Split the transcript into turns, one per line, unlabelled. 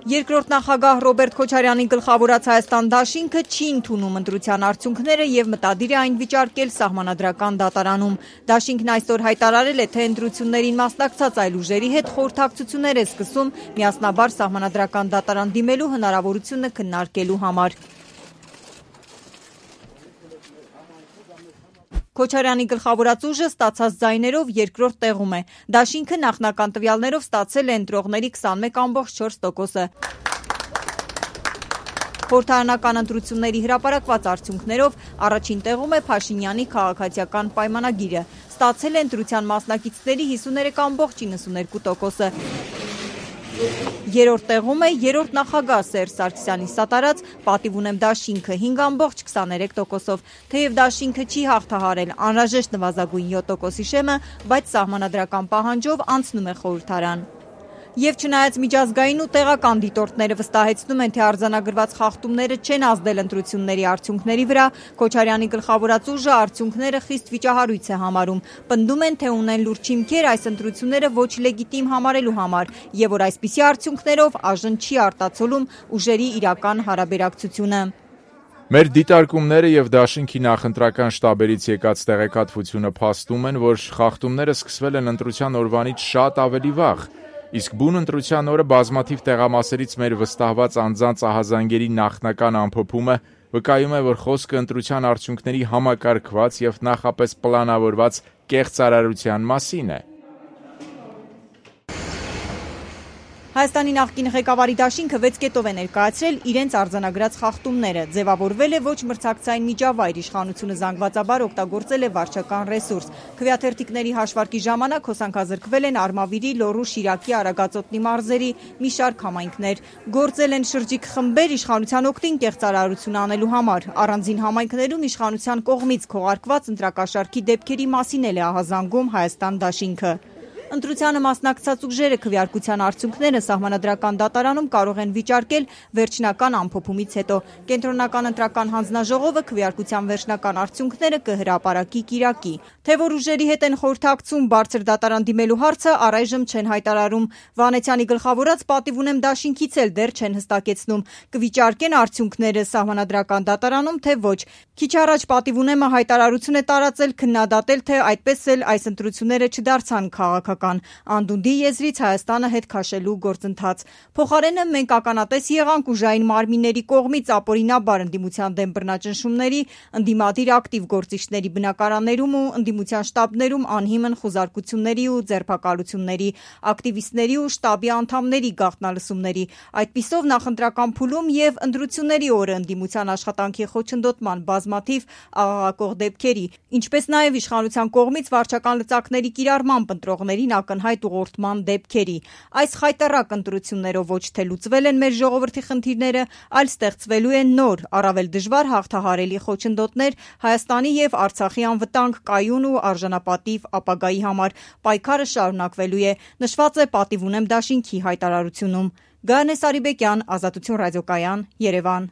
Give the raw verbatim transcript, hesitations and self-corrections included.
Երկրորդ նախագահ Ռոբերտ Քոչարյանի գլխավորած Հայաստան դաշինքը չի ընդունում ընտրության արդյունքները եւ մտադիր է այն վիճարկել Սահմանադրական դատարանում։ Դաշինքն այսօր հայտարարել է, թե ընտրություններին մասնակցած այլ ուժերի հետ խորհրդակցություններ է սկսում միասնաբար Սահմանադրական դատարան դիմելու հնարավորությունը քննարկելու համար։ Քոչարյանի գլխավորած ուժը ստացած ձայներով երկրորդ տեղում է։ Դաշինքը նախնական տվյալներով ստացել է ընտրողների քսանմեկ ամբողջ չորս տոկոսը։ Խորհրդարանական ընտրությունների հրապարակված արդյունքներով առաջին տեղում է Փաշինյանի քաղաքացիական պայմանագիրը։ Ստացել է ընտրության մասնակիցների հիսուներեք ամբողջ իննսուներկու տոկոսը։ Երրորդ տեղում է երրորդ նախագահ Սերժ Սարգսյանի սատարած «Պատիվ ունեմ դաշինքը» հինգ ամբողջ քսաներեք տոկոսով։ Թեև դաշինքը չի հաղթահարել անհրաժեշտ նվազագույն յոթ տոկոսի շեմը, բայց սահմանադրական պահանջով անցնում է խորհրդարան։ Եվ չնայած միջազգային ու տեղական դիտորդները վստահեցնում են, թե արձանագրված խախտումները չեն ազդել ընտրությունների արդյունքների վրա, Քոչարյանի գլխավորած ուժը արդյունքները խիստ վիճահարույց է համարում։ Պնդում են, թե ունեն լուրջ հիմքեր այս ընտրությունները ոչ լեգիտիմ համարելու համար, եւ որ այսպիսի արդյունքներով ԱԺ-ն չի արտացոլում ուժերի իրական հարաբերակցությունը։
Մեր դիտարկումները եւ դաշինքի նախընտրական շտաբերից եկած տեղեկատվությունը փաստում են, որ խախտումները սկսվել են ընտրության օրվանից շատ ավելի վաղ։ Իսկ բուն ընտրության օրը բազմաթիվ տեղամասերից մեր վստահված անձանց ահազանգերի նախնական ամփոփումը վկայում է, որ խոսքը ընտրության արդյունքների համակարգված եւ նախապես պլանավորված կեղծարարության մասին է։
Հայաստանի նախկին ղեկավարի դաշինքը վեց կետով է ներկայացրել իրենց արձանագրած խախտումները։ Ձևավորվել է ոչ մրցակցային միջավայր, իշխանությունը զանգվածաբար օգտագործել է վարչական ռեսուրս։ Քվեաթերթիկների հաշվարկի ժամանակ հոսանքազրկվել են Արմավիրի, Լոռու, Շիրակի, Արագածոտնի մարզերի մի շարք համայնքներ։ Գործել են շրջիկ խմբեր իշխանության օգտին կեղծարարություն անելու համար։ Առանձին համայնքներում իշխանության կողմից քողարկված ընտրակաշառքի դեպքերի մասին էլ է ահազանգում Հայաստան դաշինքը։ Ընտրությանը մասնակցած ուժերը քվեարկության արդյունքները Սահմանադրական դատարանում կարող են վիճարկել վերջնական ամփոփումից հետո։ Կենտրոնական ընտրական հանձնաժողովը քվեարկության վերջնական արդյունքները կհրապարակի կիրակի։ Թե որ ուժերի հետ են խորհրդակցում բարձր դատարան դիմելու հարցը առայժմ չեն հայտարարում։ Վանեցյանի գլխավորած «Պատիվ ունեմ» դաշինքից էլ դեռ չեն հստակեցնում՝ կվիճարկեն արդյունքները Սահմանադրական դատարանում, թե ոչ։ Քիչ առաջ «Պատիվ ունեմ»-ը հայտարարություն է տարածել քննադատել, թե այդպես էլ այս ընտրությունները չդարձան քաղաքական անդունդի եզրից Հայաստանը հետ քաշելու գործընթաց։ Փոխարենը մենք ականատես եղանք ուժային մարմինների կողմից ապօրինաբար ընդդիմության դեմ բռնաճնշումների, ընդդիմադիր ակտիվ գործիչների բնակարաններում ու ընդդիմության շտաբներում անհիմն խուզարկությունների ու ձերբակալությունների, ակտիվիստների ու շտաբի անդամների գաղտնալսումների, այդպիսով նախընտրական փուլում եւ ընտրությունների օրը ընդդիմության աշխատանքի խոչընդոտման բազմաթիվ աղաղակող դեպքերի, ինչպես նաեւ իշխանության կողմից վարչական լծակների կիրառմամբ ընտրողներին ակնհայտ ուղղորդման դեպքերի։ Այս խայտառակ ընտրություններով ոչ թե լուծվել են մեր ժողովրդի խնդիրները, այլ ստեղծվելու են նոր, առավել դժվար հաղթահարելի խոչընդոտներ Հայաստանի եւ Արցախի անվտանգ, կայուն ու արժանապատիվ ապագայի համար։ Պայքարը շարունակվելու է, նշված է «Պատիվ ունեմ» դաշինքի հայտարարությունում։ Գայանե Սարիբեկյան, Ազատություն ռադիոկայան, Երևան։